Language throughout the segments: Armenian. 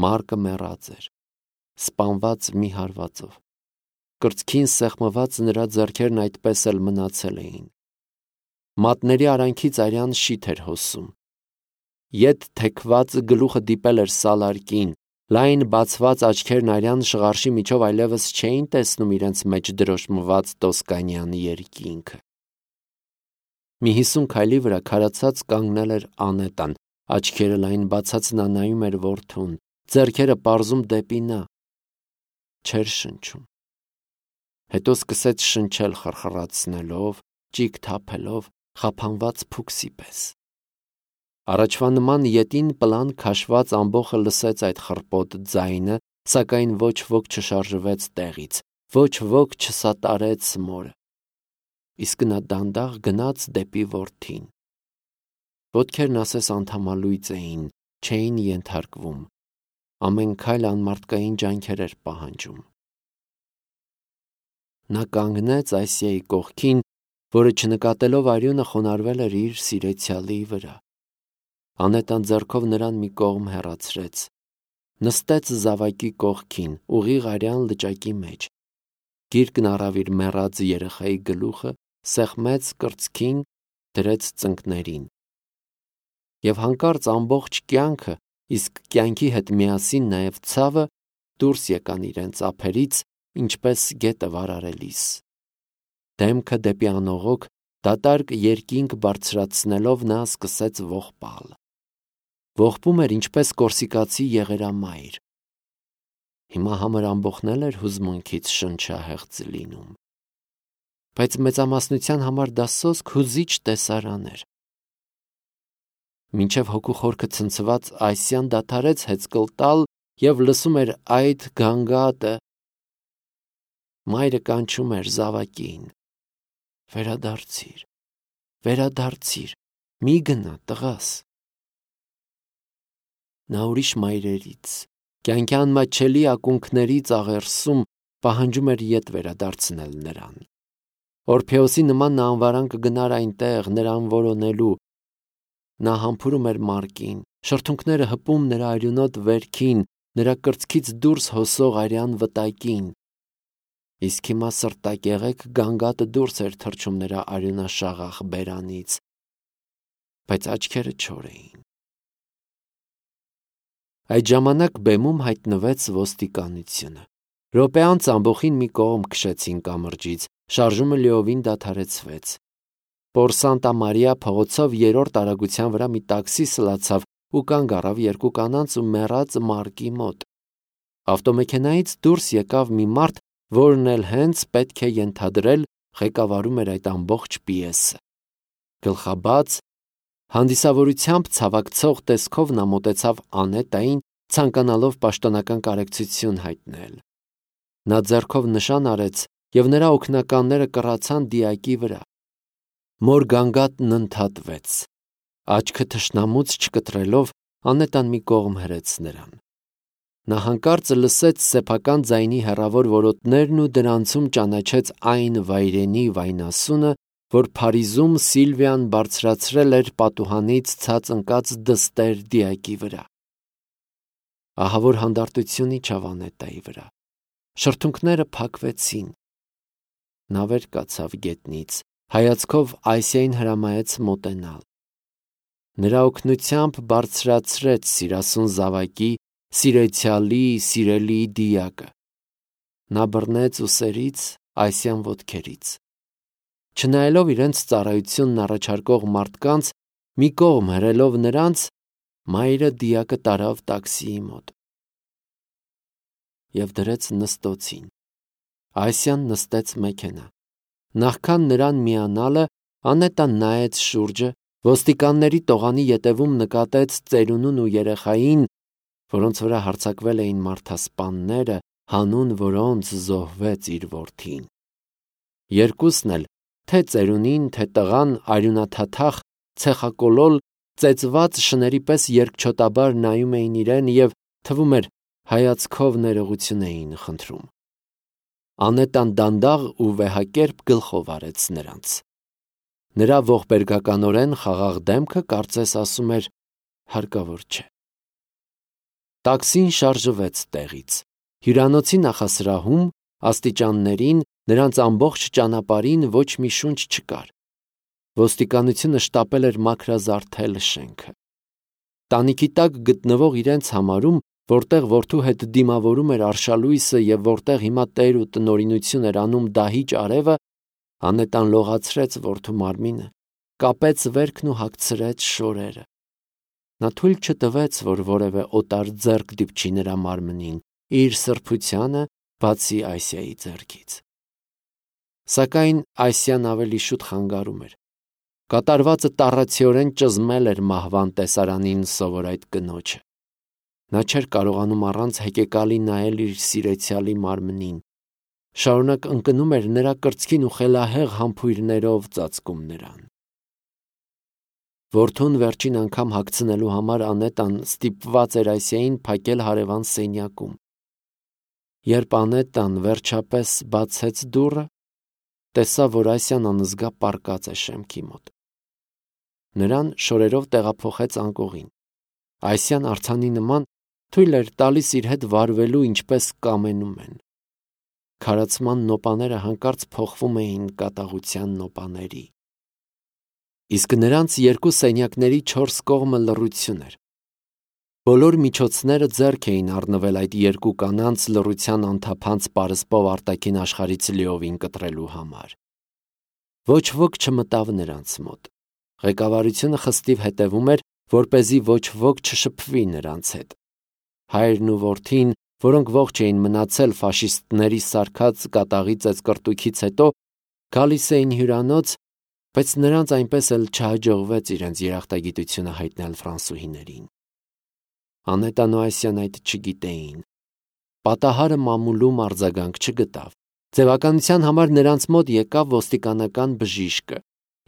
Մարկը մեռած էր, սպանված մի հարվածով։ Կրծքին սեղմված նրա ձեռքերն այդպես էլ մնացել էին։ Մատների արանքից արյան շիթ էր հոսում։ Ետ թեքված գլուխը դիպել էր սալարկին, լայն բացված աչքերն արյան շղարշի միջով այլևս չէին տեսնում իրենց մեջ դրոշմված Տոսկանյան երկինքը։ Մի 50 քայլի վրա քարացած կանգնել էր Անետան, աչքերը լայն բացած նա նայում էր որդուն, ձեռքերը պարզում դեպի նա։ Չէր շնչում։ Հետո սկսեց շնչել խրխրացնելով, ճիգ թափելով, խափանված փուքսի պես։ Առաջվա նման ետին պլան քաշված ամբոխը լսեց այդ խռպոտ ձայնը, սակայն ոչ ոք չշարժվեց տեղից, ոչ ոք չսատարեց մորը։ Իսկ նա դանդաղ գնաց դեպի որդին։ Ոտքերն ասես անդամալույծ էին, չէին ենթարկվում։ Ամեն քայլ անմարդկային ջանքեր էր պահանջում։ Նա կանգնեց Ասիայի կողքին, որը չնկատելով արյունը խոնարհվել էր իր սիրեցյալի վրա։ Անետան ձեռքով նրան մի կողմ հեռացրեց, նստեց զավակի կողքին, ուղիղ արյան լճակի մեջ, գիրկն առավ իր մեռած երեխայի գլուխը, սեղմեց կրծքին, դրեց ծնկներին։ Եվ հանկարծ ամբողջ կյանքը, իսկ կյանքի հետ միասին նաև ցավը դուրս եկան իրենց ափերից, ինչպես գետը վարարելիս։ Դեմքը դեպի անողոք, դատարկ երկինք բարձրացնելով նա սկսեց ողբալ։ Ողբում էր ինչպես կորսիկացի եղերամայր։ Հիմա համր ամբոխն էր հուզմունքից շնչահեղձ լինում։ Բայց մեծամասնության համար դա սոսկ հուզիչ տեսարան էր։ Մինչև հոգու խորքը ցնցված Ասիան դադարեց հեծկլ տալ և լսում էր այդ գանգատը։ Մայրը կանչում էր զավակին. «Վերադարձիր, վերադարձիր, մի գնա, տղաս»։ Նա ուրիշ մայրերից, կյանքի անմատչելի ակունքներից աղերսում պահանջում էր ետ վերադարձնել նրան։ Օրփեոսի նման նա անվարան կգնար այնտեղ, նրան որոնելու։ Նա համբուրում էր Մարկին, շրթունքները հպում նրա արյունոտ վերքին, նրա կրծքից դուրս հոսող արյան վտակին։ Իսկ հիմա սրտակեղեկ գանգատը դուրս էր թռչում նրա արյունաշաղախ բերանից, բայց աչքերը չոր էին։ Այդ ժամանակ բեմում հայտնվեց ոստիկանությունը։ Րոպե անց ամբոխին մի կողմ քշեցին կամրջից, շարժումը լիովին դադարեցվեց։ Պոր Սանտա Մարիա փողոցով 3-րդ արագության վրա մի տաքսի սլացավ ու կանգ առավ երկու կանանց ու մեռած Մարկի մոտ։ Ավտոմեքենայից դուրս եկավ մի մարդ, որն էլ հենց պետք է ենթադրել ղեկավարում էր այդ ամբողջ պիեսը։ Գլխաբաց, հանդիսավորությամբ ցավակցող տեսքով նա մոտեցավ Անետային, ցանկանալով պաշտոնական կարեկցություն հայտնել։ Նա ձեռքով նշան արեց, և նրա օգնականները կռացան դիակի վրա։ Մոր գանգատն ընդհատվեց։ Աչքը թշնամուց չկտրելով, Անետան մի կողմ հրեց նրան։ Նա հանկարծ լսեց սեփական ձայնի հեռավոր որոտներն ու դրանցում ճանաչեց այն վայրենի վայնասունը, որ Փարիզում Սիլվիան բարձրացրել էր պատուհանից ցած ընկած դստեր դիակի վրա։ Ահավոր հանդարտություն իջավ Անետայի վրա։ Շրթունքները փակվեցին։ Նա վեր կացավ գետնից, հայացքով Ասիային հրամայեց մոտենալ։ Նրա օգնությամբ բարձրացրեց սիրասուն զավակի, սիրեցյալի, սիրելիի դիակը։ Նա բռնեց ուսերից, Ասիան ոտքերից։ Չնայելով իրենց ծառայությունն առաջարկող մարդկանց, մի կողմ հրելով նրանց, մայրը դիակը տարավ տաքսիի մոտ և դրեց նստոցին։ Ասիան նստեց մեքենա։ Նախքան նրան միանալը, Անետան նայեց շուրջը, ոստիկանների տողանի ետևում նկատեց ծերունուն ու երեխային, որոնց վրա հարձակվել էին մարդասպանները, հանուն որոնց զոհվեց իր որդին։ Երկուսն էլ, թե ծերունին, թե տղան, արյունաթաթախ, ցեխակոլոլ, ծեծված շների պես երկչոտաբար նայում էին իրեն և, թվում էր, հայացքով ներողություն էին խնդրում։ Անետան դանդաղ ու վեհակերպ գլխով արեց նրանց։ Նրա ողբերգականորեն խաղաղ դեմքը կարծես ասում էր. հարկավոր չէ։ Տաքսին շարժվեց տեղից։ Հյուրանոցի նախասրահում, աստիճաններին, նրանց ամբողջ ճանապարհին ոչ մի շունչ չկար։ Ոստիկանությունը շտապել էր մաքրազարդել շենքը։ Տանիքի տակ գտնվող իրենց համարում, որտեղ որդու հետ դիմավորում էր արշալույսը և որտեղ հիմա տեր ու տնօրինություն էր անում դահիճ արևը, Անետան լողացրեց որդու մարմինը, կապեց վերքն ու հագցրեց շորերը։ Նա թույլ չտվեց, որ որևէ օտար ձեռք դիպչի նրա մարմնին, իր սրբությանը բացի Այսիայի ձեռքից։ Սակայն Այսիան ավելի շուտ խանգարում էր։ Կատարվածը տառացիորեն ճզմել էր մահվան տեսարանին սովոր այդ կնոջը։ Նա չէր կարողանում առանց հեկեկալի նայել իր սիրեցյալի մարմնին, շարունակ ընկնում էր նրա կրծքին ու խելահեղ համբույրներով ծածկում նրան։ Որդուն վերջին անգամ հագցնելու համար Անետան ստիպված էր Այսիային փակել հարևան սենյակում։ Երբ Անետան վերջապես բացեց դուռը, տեսավ, որ Այսիան անզգա պառկած է շեմքի մոտ։ Նրան շորերով տեղափոխեց անկողին։ Այսիան արձանի նման թույլ էր տալիս իր հետ վարվելու, ինչպես կամենում են։ Քարացման նոպաները հանկարծ փոխվում էին կատաղության նոպաների։ Իսկ նրանց երկու սենյակների 4 կողմը լռություն էր։ Բոլոր միջոցները ձեռք էին առնվել այդ երկու կանանց լռության անթափանց պարսպով արտաքին աշխարհից լիովին կտրելու համար։ Ոչ ոք չմտավ նրանց մոտ։ Ղեկավարությունը խստիվ հետևում էր, որպեսզի ոչ ոք չշփվի նրանց հետ։ Հայրն ու որդին, որոնք ողջ էին մնացել ֆաշիստների սարքած կատաղի ծեծկռտուքից հետո, գալիս էին հյուրանոց, բայց նրանց այնպես էլ չհաջողվեց իրենց երախտագիտությունը հայտնել ֆրանսուհիներին։ Անետան ու Այսիան այդ չգիտեին։ Պատահարը մամուլում արձագանք չգտավ։ Ձևականության համար նրանց մոտ եկավ ոստիկանական բժիշկը։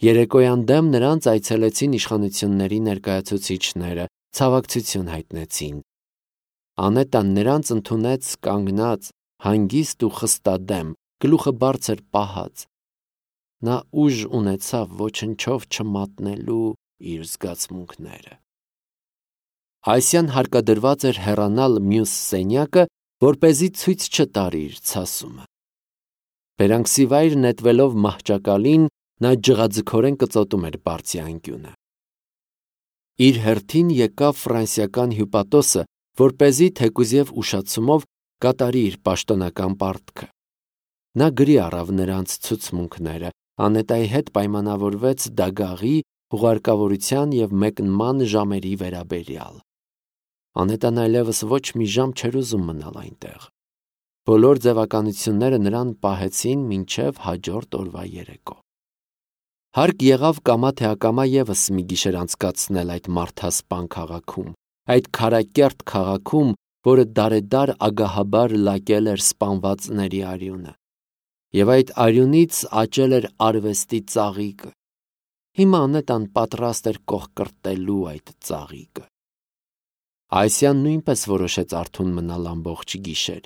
Երեկոյան դեմ նրանց այցելեցին իշխանությունների ներկայացուցիչները, ցավակցություն հայտնեցին։ Անետան նրանց ընդունեց կանգնած, հանգիստ ու խստադեմ, գլուխը բարձր պահած։ Նա ուժ ունեցավ ոչնչով չմատնելու իր զգացմունքները։ Այսիան հարկադրված էր հեռանալ մյուս սենյակը, որպեսզի ցույց չտար իր ցասումը։ Բերանքսիվայր նետվելով մահճակալին, նա ջղաձգորեն կծոտում էր բարձի անկյունը։ Իր հերթին եկավ ֆրանսիական հյուպատոսը, որպեսզի թեկուզև ուշացումով կատարի իր պաշտոնական պարտքը։ Նա գրի առավ նրանց ցուցմունքները, Անետայի հետ պայմանավորվեց դագաղի, հուղարկավորության և մեկնման ժամերի վերաբերյալ։ Անետան այլևս ոչ մի ժամ չէր ուզում մնալ այնտեղ։ Բոլոր ձևականությունները նրան պահեցին մինչև հաջորդ օրվա երեկո։ Հարկ եղավ կամա թե ակամա ևս մի գիշեր անցկացնել այդ մարդասպան քաղաքում, այդ քարակերտ քաղաքում, որը դարեդար ագահաբար լակել էր սպանվածների արյունը։ Եվ այդ արյունից աճել էր արվեստի ծաղիկը։ Հիմա Անետան պատրաստ էր կողկրտելու այդ ծաղիկը։ Այսիան նույնպես որոշեց արթուն մնալ ամբողջ գիշեր։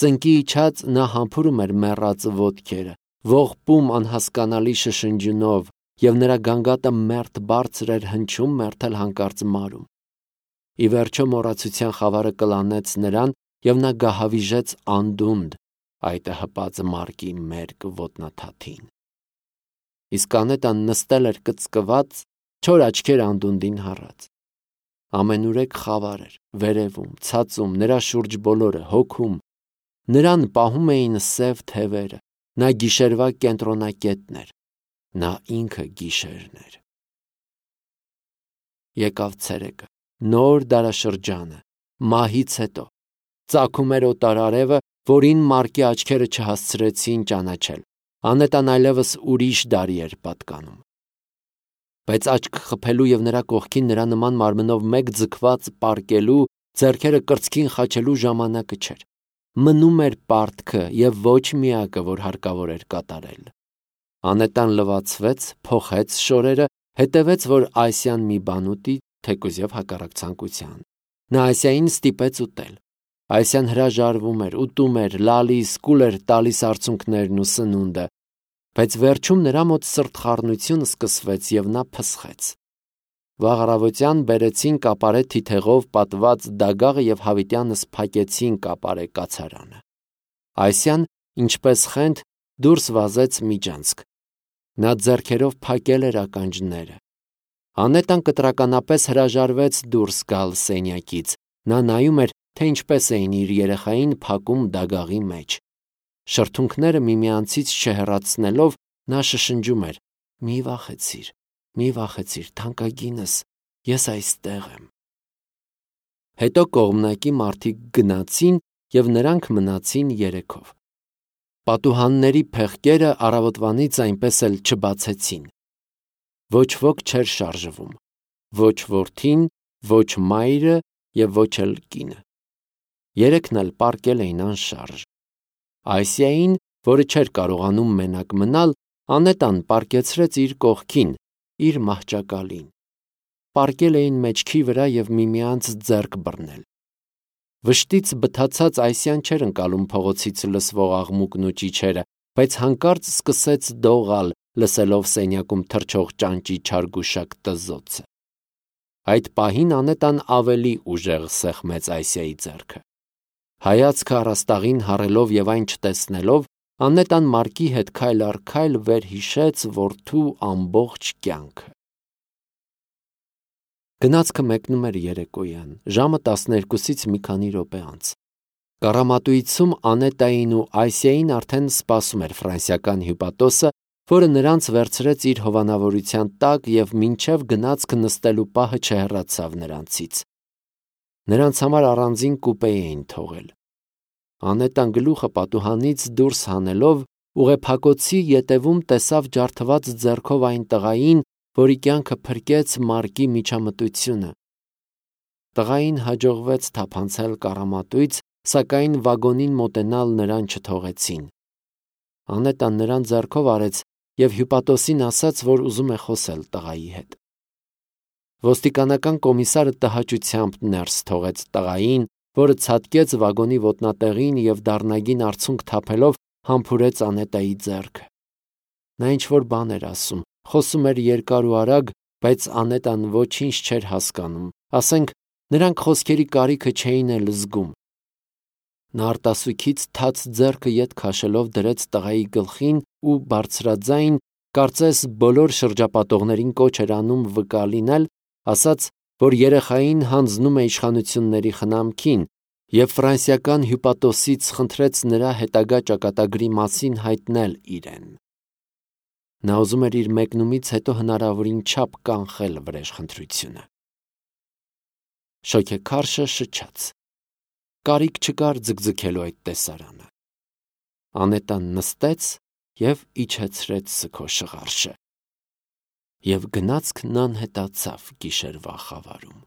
Ծնկի իջած նա համբուրում էր մեռած ոտքերը, ողբում անհասկանալի շշնջյունով, և նրա գանգատը մերթ բարձր էր հնչում, մերթ էլ հանկարծ մարում։ Ի վերջո մոռացության խավարը կլանեց նրան, և նա գահավիժեց անդունդը, այտը հպած մարկի մերկ ոտնաթաթին։ Իսկ Անետան նստել էր կծկված, չոր աչքեր անդունդին հառած։ Ամենուրեք խավար էր, վերևում, ցածում, նրա շուրջ բոլորը, հոգում։ Նրան պահում էին սև թևերը, նա գիշերվա կենտրոնակետն էր, նա ինքը գիշերն էր։ Եկավ ցերեկը, նոր դարաշրջանը, մահից հետո, ծագում էր օտար արևը, որին մարկի աչքերը չհասցրեցին ճանաչել։ Անետան այլևս ուրիշ դարի էր պատկանում։ Բայց աչք խփելու և նրա կողքին նրա նման մարմնով մեկ ձգված պառկելու, ձեռքերը կրծքին խաչելու ժամանակը չէր։ Մնում էր պարտքը և ոչ միակը, որ հարկավոր էր կատարել։ Անետան լվացվեց, փոխեց շորերը, հետևեց, որ Այսիան մի բան ուտի, թեկուզև հակառակ ցանկության։ Նա Այսիային ստիպեց ուտել։ Այսիան հրաժարվում էր, ուտում էր, լալիս, կուլ էր տալիս արցունքներն ու սնունդը, բայց վերջում նրա մոտ սրտխառնություն սկսվեց և նա փսխեց։ Վաղ առավոտյան բերեցին կապարե թիթեղով պատված դագաղը և հավիտյանս փակեցին կապարե կացարանը։ Այսյան, ինչպես խենթ, դուրս վազեց միջանցք։ Նա ձեռքերով փակել էր ականջները։ Անետան կտրականապես հրաժարվեց դուրս գալ սենյակից։ Նա նայում էր, թե ինչպես էին իր երեխային փակում դագաղի մեջ։ Շրթունքները միմյանցից չհեռացնելով, նա շշնջում էր. «Մի վախեցիր, թանկագինս, ես այստեղ եմ»։ Հետո կողմնակի մարդիկ գնացին և նրանք մնացին երեքով։ Պատուհանների փեղկերը առավոտվանից այնպես էլ չբացեցին։ Ոչ ոք չէր շարժվում, ոչ որդին, ոչ մայրը և ոչ էլ կինը։ Երեքն էլ պառկել էին անշարժ։ Այսիային, որը չէր կարողանում մենակ մնալ, Անետան պառկեցրեց իր կողքին, իր մահճակալին։ Պառկել էին մեջքի վրա և միմյանց ձեռք բռնել։ Վշտից բթացած Այսիան չէր ընկալում փողոցից լսվող աղմուկն ու ճիչերը, բայց հանկարծ սկսեց դողալ, լսելով սենյակում թռչող ճանճի չարգուշակ տզոցը։ Այդ պահին Անետան ավելի ուժեղ սեղմեց Այսիայի ձեռքը։ Հայացքը առաստաղին հառելով և այն չտեսնելով, Անետան Մարկի հետ քայլ առ քայլ վերհիշեց որդու ամբողջ կյանքը։ Գնացքը մեկնում էր երեկոյան, ժամը 12-ից մի քանի րոպե անց։ Կառամատույցում Անետային ու Այսիային արդեն սպասում էր ֆրանսիական հյուպատոսը, որը նրանց վերցրեց իր հովանավորության տակ և մինչև գնացքը նստելու պահը չհեռացավ նրանցից։ Նրանց համար առանձին կուպե էին թողել։ Անետան գլուխը պատուհանից դուրս հանելով, ուղեփակոցի ետևում տեսավ ջարդված ձեռքով այն տղային, որի կյանքը փրկեց Մարկի միջամտությունը։ Տղային հաջողվեց թափանցել կառամատույց, սակայն վագոնին մոտենալ նրան չթողեցին։ Անետան նրան ձեռքով արեց և հյուպատոսին ասաց, որ ուզում է խոսել տղայի հետ։ Ոստիկանական կոմիսարը տհաճությամբ ներս թողեց տղային, որը ցատկեց վագոնի ոտնատեղին և դառնագին արցունք թափելով համբուրեց Անետայի ձեռքը։ Նա ինչ-որ բան էր ասում, խոսում էր երկար ու արագ, բայց Անետան ոչինչ չէր հասկանում, ասենք նրանք խոսքերի կարիքը չէին էլ զգում։ Նա արտասուքից թաց ձեռքը ետ քաշելով դրեց տղայի գլխին ու բարձրաձայն, կարծես բոլոր շրջապատողներին կոչ էր անում վկա լինել, ասաց, որ երեխային հանձնում է իշխանությունների խնամքին և ֆրանսիական հյուպատոսից խնդրեց նրա հետագա ճակատագրի մասին հայտնել իրեն։ Նա ուզում էր իր մեկնումից հետո հնարավորին չափ կանխել վրեժխնդրությունը։ Շոգեքարշը շչաց։ Կարիք չկար ձգձգելու այդ տեսարանը։ Անետան նստեց և իջեցրեց սգո շղարշը։ Եվ գնացքն անհետացավ գիշերվա խավարում։